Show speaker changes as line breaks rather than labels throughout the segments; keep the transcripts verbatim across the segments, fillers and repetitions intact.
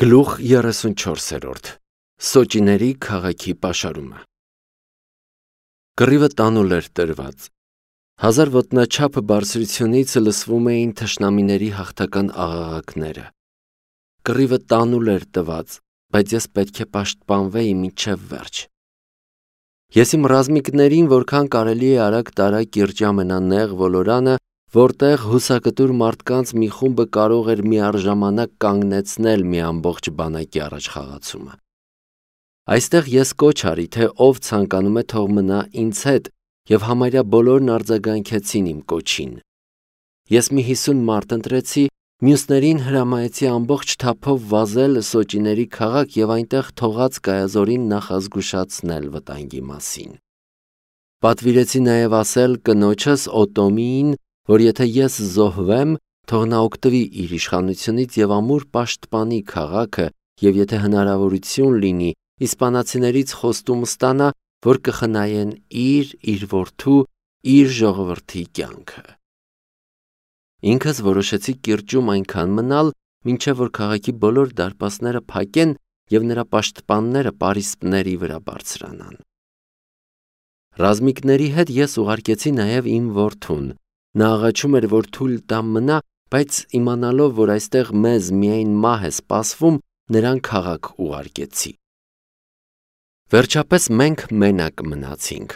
Գլուխ երեսունչորսերորդ Սոճիների քաղաքի պաշարումը Կռիվը տանուլ էր տրված։ Հազար ոտնաչափ բարձրությունից լսվում էին թշնամիների հաղթական աղաղակները։ Կռիվը տանուլ էր տված, բայց ես պետք է պաշտպանվեի մինչև վերջ։ Ես իմ ռազմիկներին որքան կարելի է արագ տարա կիրճի ամենանեղ ոլորանը, որտեղ հուսակտուր մարդկանց մի խումբը կարող էր միառժամանակ կանգնեցնել մի ամբողջ բանակի առաջխաղացումը։ Այստեղ ես կոչ արի, թե ով ցանկանում է թող մնա ինձ հետ, եւ համարյա բոլորն արձագանքեցին իմ կոչին։ Ես մի հիսուն մարդ ընտրեցի, մյուսներին հրամայեցի ամբողջ թափով վազել Սոճիների քաղաք եւ այնտեղ թողած կայազորին նախազգուշացնել վտանգի մասին։ Պատվիրեցի նաեւ ասել կնոջս Օտոմիին, որ եթե ես զոհվեմ, թող նա օգտվի իր իշխանությունից եւ ամուր պաշտպանի քաղաքը, եւ եթե հնարավորություն լինի, իսպանացիներից խոստում ստանա, որ կխնայեն իր, իր որդու, իր ժողովրդի կյանքը։ Ինքս որոշեցի կիրճում այնքան մնալ, մինչև որ քաղաքի բոլոր դարպասները փակեն եւ նրա պաշտպանները պարիսպների վրա բարձրանան։ Ռազմիկների հետ ես ուղարկեցի նաեւ իմ որդուն։ Նա աղաչում էր, որ թույլ տամ մնա, բայց իմանալով, որ այստեղ մեզ միայն մահ է սպասվում, նրան քաղաք ուղարկեցի։ Վերջապես մենք մենակ մնացինք։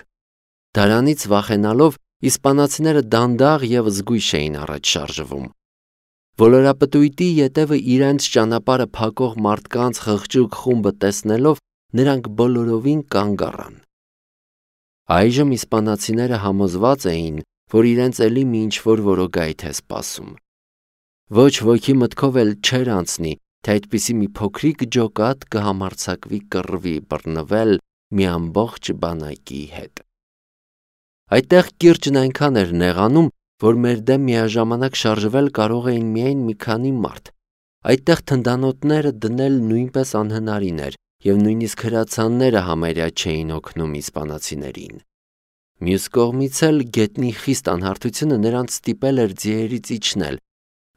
Դարանից վախենալով, իսպանացիները դանդաղ եւ զգույշ էին առաջ շարժվում։ Ոլորապտույտի ետևը իրենց ճանապարհը փակող մարդկանց խղճուկ խումբը տեսնելով, նրանք բոլորովին կանգ առան։ Այժմ իսպանացիները համոզված էին, որ իրենց էլի մի ինչ-որ որոգայթ է սպասում։ Ոչ ոքի մտքով էլ չէր անցնի, թե այդպիսի մի փոքրիկ ջոկատ կհամարձակվի կռվի բռնվել մի ամբողջ բանակի հետ։ Այդտեղ կիրճն այնքան էր նեղանում, որ մեր դեմ միաժամանակ շարժվել կարող էին միայն մի քանի մարդ։ Այդտեղ թնդանոթները դնել նույնպես անհնարին էր, եւ նույնիսկ հրացանները համարյա չէին օգնում իսպանացիներին։ Մյուս կողմից էլ գետնի խիստ անհարթությունը նրանց ստիպել էր ձիերից իջնել։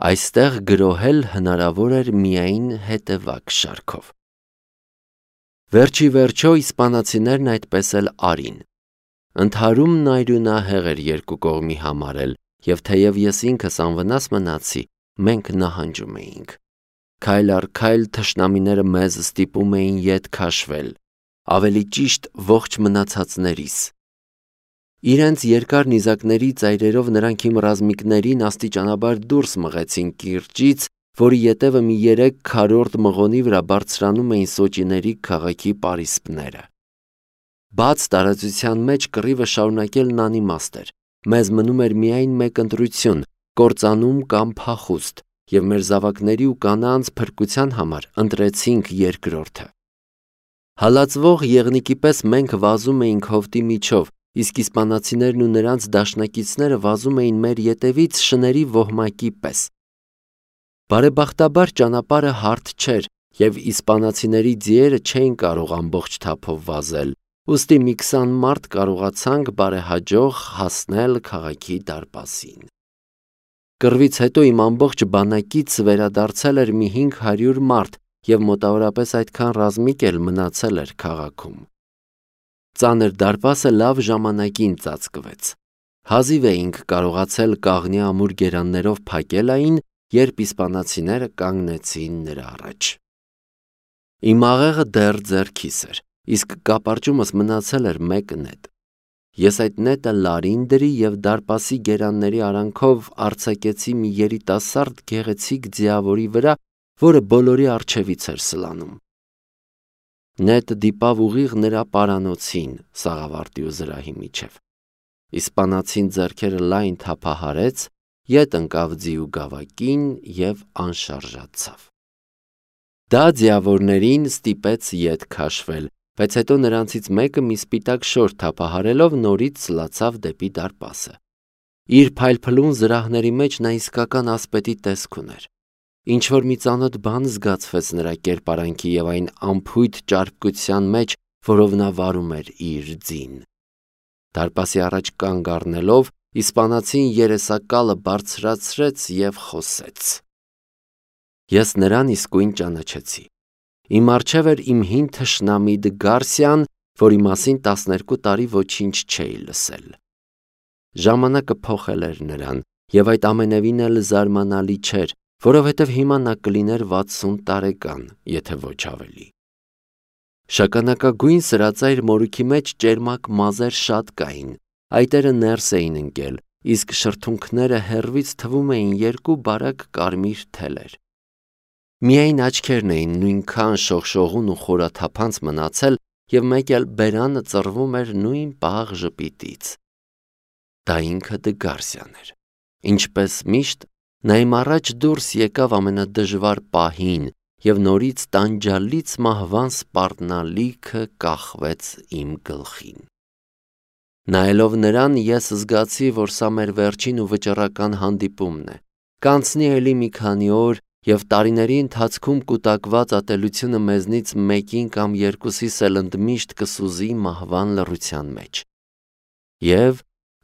Այստեղ գրոհել հնարավոր էր միայն հետևակ շարքով։ Վերջի վերջո իսպանացիներն այդպես էլ արին։ Ընդհարումն այրունահեղ էր երկու կողմի համար էլ, եւ թեև ես ինքս անվնաս մնացի, մենք նահանջում էինք։ Քայլ առ քայլ թշնամիները մեզ ստիպում էին ետ քաշվել, ավելի ճիշտ ողջ մնացածներիս։ Իրենց երկար նիզակների ծայրերով նրանք իմ ռազմիկներին աստիճանաբար դուրս մղեցին կիրճից, որի ետևը մի երեք քառորդ մղոնի վրա բարձրանում էին Սոճիների քաղաքի պարիսպները։ Բաց տարածության մեջ կռիվը շարունակելն անիմաստ էր։ Մեզ մնում էր միայն մեկ ընտրություն՝ կործանում կամ փախուստ, եւ մեր զավակների ու կանանց փրկության համար ընտրեցինք երկրորդը։ Հալածվող եղնիկի պես մենք վազում էինք հովտի միջով, իսկ իսպանացիներն ու նրանց դաշնակիցները վազում էին մեր ետևից շների ոհմակի պես։ Բարեբախտաբար ճանապարհը հարթ չէր, եւ իսպանացիների ձիերը չէին կարող ամբողջ թափով վազել, ուստի մի քսան մարդ կարողացանք բարեհաջող հասնել քաղաքի դարպասին։ Կռվից հետո իմ ամբողջ բանակից վերադարձել էր մի հինգ հարյուր մարդ, եւ մոտավորապես այդքան ռազմիկ էլ մնացել էր քաղաքում։ Ծանր դարպասը լավ ժամանակին ծածկվեց։ Հազիվ էինք կարողացել կաղնի ամուր գերաններով փակել այն, երբ իսպանացիները կանգնեցին նրա առաջ։ Իմ աղեղը դեռ ձեռքիս էր, իսկ կապարճումս մնացել էր մեկ նետ։ Ես այդ նետը լարին դրի եւ դարպասի գերանների արանքով արձակեցի մի երիտասարդ գեղեցիկ ձիավորի վրա, որը բոլորի առջևից էր սլանում։ Նետը դիպավ ուղիղ նրա պարանոցին, սաղավարտի ու զրահի միջև։ Իսպանացին ձեռքերը լայն թափահարեց, ետ ընկավ ձիու գավակին եւ անշարժացավ։ Դա ձիավորներին ստիպեց ետ քաշվել, բայց հետո նրանցից մեկը մի սպիտակ շոր թափահարելով նորից սլացավ դեպի դարպասը։ Իր փայլփլուն զրահների մեջ նա իսկական ասպետի տեսք ուներ։ Ինչ-որ մի ծանոթ բան զգացվեց նրա կերպարանքի եւ այն անփույթ ճարպկության մեջ, որով նա վարում էր իր ձին։ Դարպասի առաջ կանգ առնելով, իսպանացին երեսակալը բարձրացրեց եւ խոսեց։ Ես նրան իսկույն ճանաչեցի։ Իմ առջև էր իմ հին թշնամի Դգարսյան, որի մասին տասներկու տարի ոչինչ չէի լսել։ Ժամանակը փոխել էր նրան, եւ այդ ամենևին էլ զարմանալի չէր, որովհետև հիմա նա կլիներ վաթսուն տարեկան, եթե ոչ ավելի։ Շագանակագույն սրածայր մորուքի մեջ ճերմակ մազեր շատ կային, այտերը ներս էին ընկել, իսկ շրթունքները հեռվից թվում էին երկու բարակ կարմիր թելեր։ Միայն աչքերն էին նույնքան շողշողուն ու խորաթափանց մնացել, եւ մեկ էլ բերանը ծռվում էր նույն պաղ ժպիտից։ Դա ինքը Դգարսյան էր։ Ինչպես միշտ, նա իմ առաջ դուրս եկավ ամենադժվար պահին եւ նորից տանջալից մահվան սպառնալիքը կախվեց իմ գլխին։ Նայելով նրան, ես զգացի, որ սա մեր վերջին ու վճռական հանդիպումն է։ Կանցնի էլի մի քանի օր, եւ տարիների ընթացքում կուտակված ատելությունը մեզնից մեկին կամ երկուսիս էլ ընդմիշտ կսուզի մահվան լռության մեջ։ Եվ,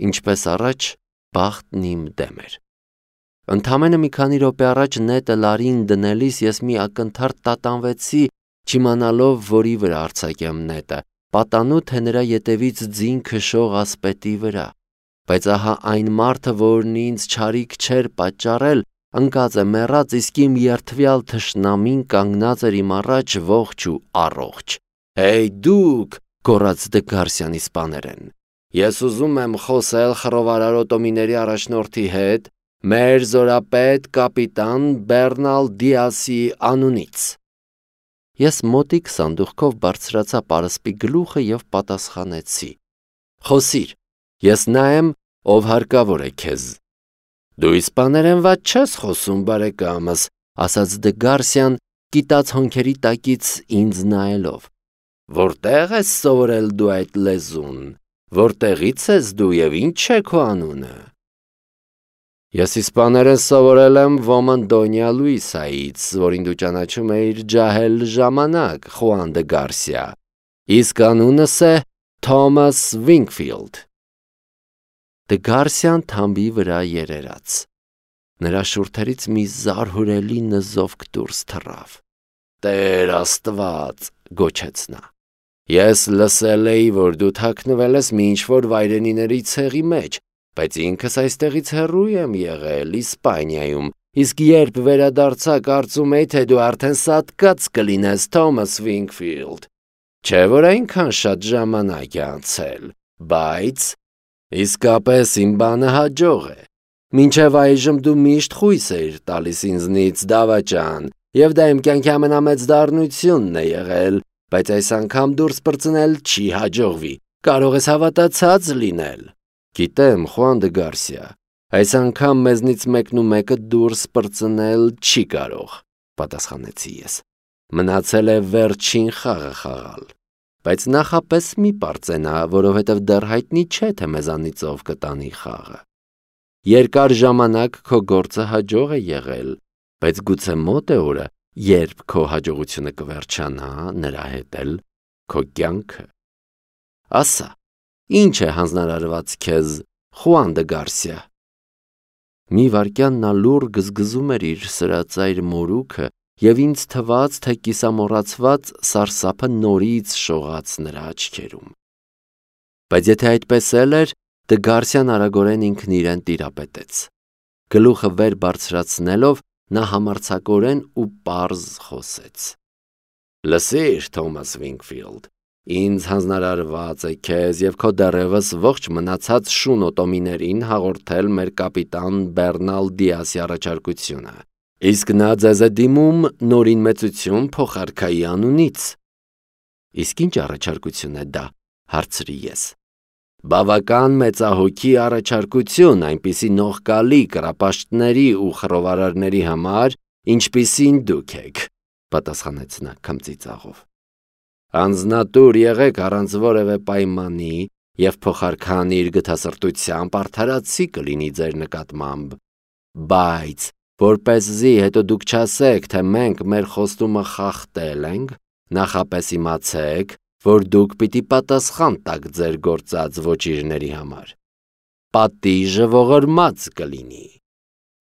ինչպես առաջ, բախտն իմ դեմ էր։ Ընդամենը մի քանի րոպե առաջ նետը լարին դնելիս ես մի ակնթարթ տատանվեցի, չիմանալով որի վրա արձակեմ նետը, պատանու թե նրա ետևից ձին քշող ասպետի վրա, բայց ահա այն մարդը, որն ինձ չարիք չէր պատճառել, ընկած է մեռած, իսկ իմ երդվյալ թշնամին կանգնած էր իմ առաջ ողջ ու առողջ։ «Հեյ դուք», գոռաց Դգարսյանի սպաներեն, «ես ուզում եմ խոսել խռովարար օտոմիների առաջնորդի հետ, մեր զորապետ կապիտան Բեռնալ Դիասի անունից»։ Ես մոտիկ սանդուղքով բարձրացա պարսպի գլուխը եւ պատասխանեցի. «Խոսիր, ես նա եմ, ով հարկավոր է քեզ»։ «Դու իսպաներեն վատ չես խոսում, բարեկամս», ասաց Դգարսյան, կիտած հոնքերի տակից ինձ նայելով։ «Որտեղ ես սովորել դու այդ լեզուն, որտեղից ես դու եւ ինչ է քո անունը»։ «Ես իսպաներեն սովորել եմ ոմն Դոնյա Լուիսայից, որին դու ճանաչում էիր ջահել ժամանակ, Խուան Դգարսիա, իսկ անունս է Թոմաս Վինքֆիլդ»։ Դգարսյան թամբի վրա երերաց։ Նրա շուրթերից մի զարհուրելի նզովք դուրս թռավ։ «Տեր Աստված», գոչեց նա, «ես լսել էի, որ դու թաքնվել ես մի ինչ-որ վայրենիների ցեղի մեջ, բայց ինքս այստեղից հեռու եմ եղել, Իսպանիայում, իսկ երբ վերադարձա, կարծում էի, թե դու արդեն սատկած կլինես, Թոմաս Վինքֆիլդ, չէ՞ որ այնքան շատ ժամանակ է անցել, բայց իսկապես իմ բանը հաջող է։ Մինչև այժմ դու միշտ խույս էիր տալիս ինձնից, դավաճան, եւ դա իմ կյանքի ամենամեծ դառնությունն է եղել, բայց այս անգամ դուրս պրծնել չի հաջողվի, կարող ես հավատացած լինել»։ «Գիտեմ, Խուան Դգարսիա, այս անգամ մեզնից մեկն ու մեկը դուրս պրծնել չի կարող», պատասխանեցի ես։ «Մնացել է վերջին խաղը խաղալ, բայց նախապես մի պարծենա, որովհետև դեռ հայտնի չէ, թե մեզանից ով կտանի խաղը։ Երկար ժամանակ քո գործը հաջող է եղել, բայց գուցե մոտ է օրը, երբ քո հաջողությունը կվերջանա, նրա հետ էլ քո կյանքը։ Ասա, ինչ է հանձնարարված քեզ, Խուան Դգարսիա»։ Մի վայրկյան նա լուռ գզգզում էր իր սրածայր մորուքը, եւ ինձ թվաց, թե կիսամոռացված սարսափը նորից շողաց նրա աչքերում։ Բայց եթե այդպես էլ էր, Դգարսյան արագորեն ինքն իրեն տիրապետեց։ Գլուխը վեր բարձրացնելով, նա համարձակորեն ու պարզ խոսեց. «Լսիր, Թոմաս Վինքֆիլդ, ինձ հանձնարարված է քեզ եւ քո դեռևս ողջ մնացած շուն օտոմիներին հաղորդել մեր կապիտան Բեռնալ Դիասի առաջարկությունը, իսկ նա ձեզ է դիմում նորին մեծություն փոխարքայի անունից»։ «Իսկ ինչ առաջարկություն է դա», հարցրի ես։ «Բավական մեծահոգի առաջարկություն, այնպիսի նողկալի կռապաշտների ու խռովարարների համար, ինչպիսին դուք եք», պատասխանեց նա քմծիծաղով։ «Անձնատուր եղեք առանց որևէ պայմանի եւ փոխարքան իր գթասրտությամբ արդարացի կլինի ձեր նկատմամբ, բայց որպեսզի հետո դուք չասեք, թե մենք մեր խոստումը խախտել ենք, նախապես իմացեք, որ դուք պիտի պատասխան տաք ձեր գործած ոճիրների համար։ Պատիժը ողորմած կլինի։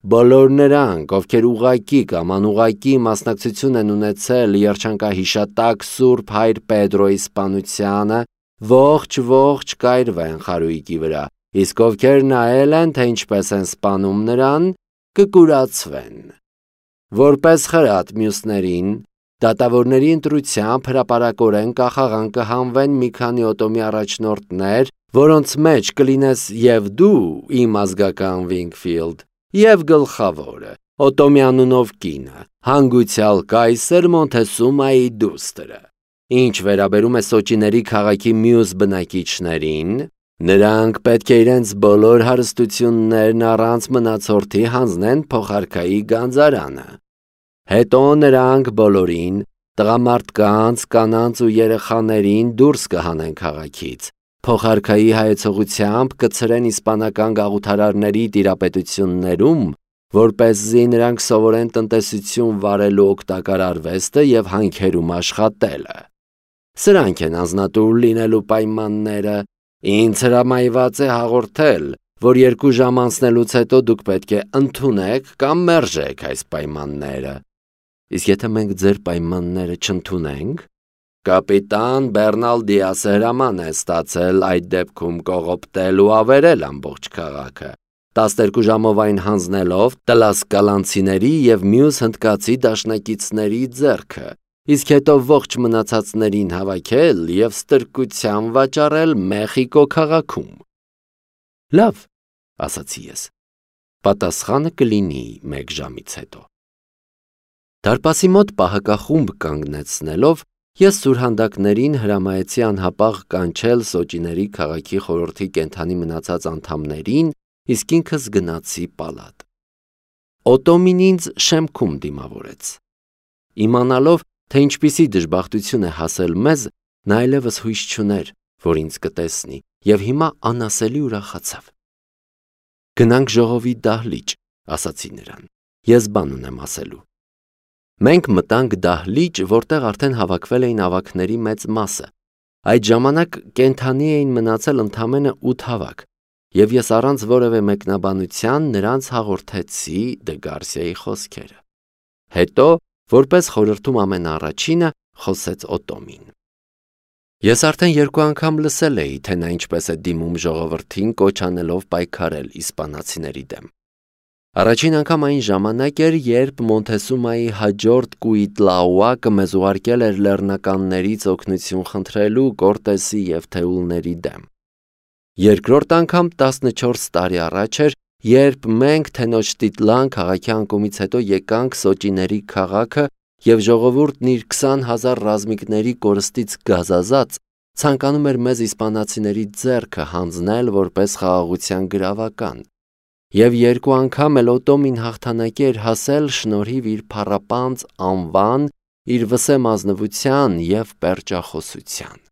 Բոլոր նրանք, ովքեր ուղղակի կամ անուղղակի մասնակցություն են ունեցել երջանկահիշատակ Սուրբ Հայր Պետրոյի սպանությանը, ողջ-ողջ կայրվեն խարույկի վրա, իսկ ովքեր նայել են, թե ինչպես են սպանում նրան, կկուրացվեն։ Որպես խրատ մյուսներին, դատավորների ընտրությամբ հրապարակորեն կախաղան կհանվեն մի քանի օտոմի առաջնորդներ, որոնց մեջ կլինես և դու, իմ ազգական Վինգֆիլդ, և գլխավորը, Օտոմի անունով կինը, հանգուցյալ կայսր Մոնթեսումայի դուստրը։ Ինչ վերաբերում է Սոճիների քաղաքի մյուս բնակիչներին, նրանք պետք է իրենց բոլոր հարստություններն առանց մնացորդի հանձնեն փոխարքայի գանձարանը։ Հետո նրանք բոլորին, տղամարդկանց, կանանց ու երեխաներին դուրս կհանեն քաղաքից, փոխարքայի հայեցողությամբ կցրեն իսպանական գաղութարարների տիրապետություններում, որպեսզի նրանք սովորեն տնտեսություն վարելու օգտակար արվեստը և հանքերում աշխատելը։ Սրանք են անձնատուր լինելու պայմանները, ինձ հրամայված է հաղորդել, որ երկու ժամ անցնելուց հետո դուք պետք է ընդունեք կամ մերժեք այս պայմանները։ Իսկ եթե մենք ձեր պայմանները չընդունենք, կապիտան Բեռնալ Դիասը հրաման է ստացել այդ դեպքում կողոպտել ու ավերել ամբողջ քաղաքը, տասներկու ժամով այն հանձնելով տլասկալանցիների և մյուս հնդկացի դաշնակիցների ձեռքը, իսկ հետո ողջ մնացածներին հավաքել և ստրկության վաճառել Մեխիկո քաղաքում։ Լավ, ասացի ես, պատասխանը կլինի մեկ ժամից հետո։ Դարպասի մոտ պահակախումբ կանգնեցնելով, ես սուրհանդակներին հրամայեցի անհապաղ կանչել Սոճիների քաղաքի խորհրդի կենդանի մնացած անդամներին, իսկ ինքս գնացի պալատ։ Օտոմին ինձ շեմքում դիմավորեց։ Իմանալով, թե ինչպիսի դժբախտություն է հասել մեզ, նա այլևս հույս չուներ, որ ինձ կտեսնի, և հիմա անասելի ուրախացավ։ Գնանք ժողովի դահլիճ, ասացի նրան, ես բան ունեմ ասելու։ Մենք մտանք դահլիճ, որտեղ արդեն հավաքվել էին ավագների մեծ մասը։ Այդ ժամանակ կենդանի էին մնացել ընդամենը ութ ավագ, և ես առանց որևէ մեկնաբանության նրանց հաղորդեցի Դե Գարսիայի խոսքերը։ Հետո, որպես խորհրդում ամենաառաջինը, խոսեց Օտոմին։ Ես արդեն երկու անգամ լսել էի, թե նա ինչպես է դիմում ժողովրդին կոչ անելով պայքարել իսպանացիների դեմ։ Առաջին անգամ այն ժամանակ էր, երբ Մոնթեսումայի հաջորդ Կուիտլաուակը մեզ ուղարկել էր լեռնականներից օգնություն խնդրելու Կորտեսի և Թեուլների դեմ։ Երկրորդ անգամ տասնչորս տարի առաջ էր, երբ մենք Թենոչտիտլան քաղաքի անկումից հետո եկանք Սոճիների քաղաքը և ժողովուրդն իր քսան հազար ռազմիկների կորստից գազազած ցանկանում էր մեզ իսպանացիների ձեռքը հանձնել որպես խաղաղության գրավական։ Եվ երկու անգամ էլ Օտոմին հաղթանակի էր հասել շնորհիվ իր փառապանծ անվան, իր վսեմ ազնվության և պերճախոսության։